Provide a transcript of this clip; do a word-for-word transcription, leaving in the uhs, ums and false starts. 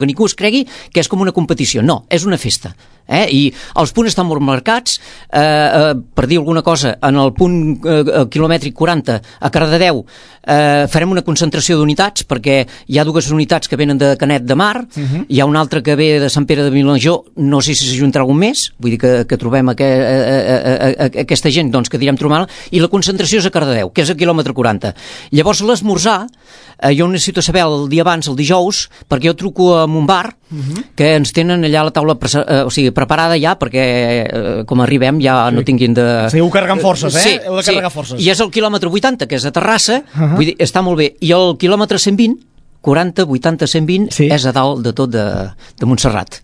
que ningú es cregui que és com una competició, no, és una festa. Eh? I els punts estan molt marcats, eh, eh, per dir alguna cosa, en el punt eh, quilomètric quaranta a Cardedeu eh, farem una concentració d'unitats, perquè hi ha dues unitats que venen de Canet de Mar, uh-huh. hi ha una altra que ve de Sant Pere de Vilamajor, no sé si s'ajuntarà algun més, vull dir que, que trobem aqu a, a, a, a, aquesta gent doncs, que direm trobar, i la concentració és a Cardedeu, que és a quilòmetre quaranta. Llavors l'esmorzar, eh, jo necessito saber el dia abans, el dijous, perquè jo truco a un bar, uh-huh. que ens tenen allà a la taula, eh, o sigui, preparada ja, perquè eh, com arribem ja sí. no tinguin de... Sí, heu carregant forces, eh? Sí, heu de carregar sí. forces. I és el quilòmetre vuitanta, que és a Terrassa, uh-huh. vull dir, està molt bé. I el quilòmetre cent vint, quaranta, vuitanta, cent vint, sí. és a dalt de tot de, de Montserrat.